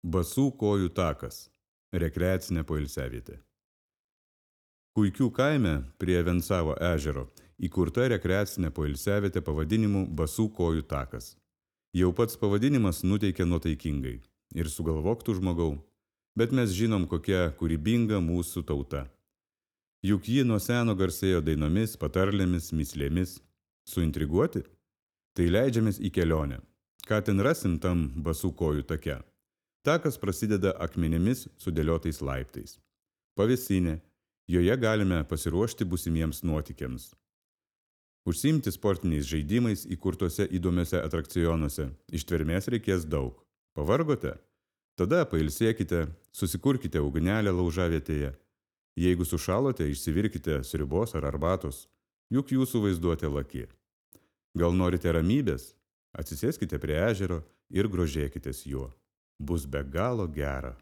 Basų kojų takas – rekreacinė poilsiavietė. Kuikių kaime prie Vencavo ežero įkurta rekreacinė poilsiavietė pavadinimu Basų kojų takas. Jau pats pavadinimas nuteikia nuotaikingai ir sugalvok tu žmogau, bet mes žinom, kokia kūrybinga mūsų tauta. Juk ji nuo seno garsėjo dainomis, patarlėmis, mįslėmis. Suintriguoti? Tai leidžiamės į kelionę. Ką ten rasim tam Basų kojų take? Takas prasideda akmenimis sudėliotais laiptais. Pavėsinė, joje galime pasiruošti būsimiems nuotykiams. Užsiimti sportiniais žaidimais įkurtuose įdomiuose atrakcionuose. Ištvermės reikės daug. Pavargote? Tada pailsėkite, susikurkite ugnelę laužavietėje. Jeigu sušalote, išsivirkite sriubos ar arbatos, juk jūsų vaizduotė laki. Gal norite ramybės? Atsisėskite prie ežero ir grožėkitės juo. Bus be galo gera.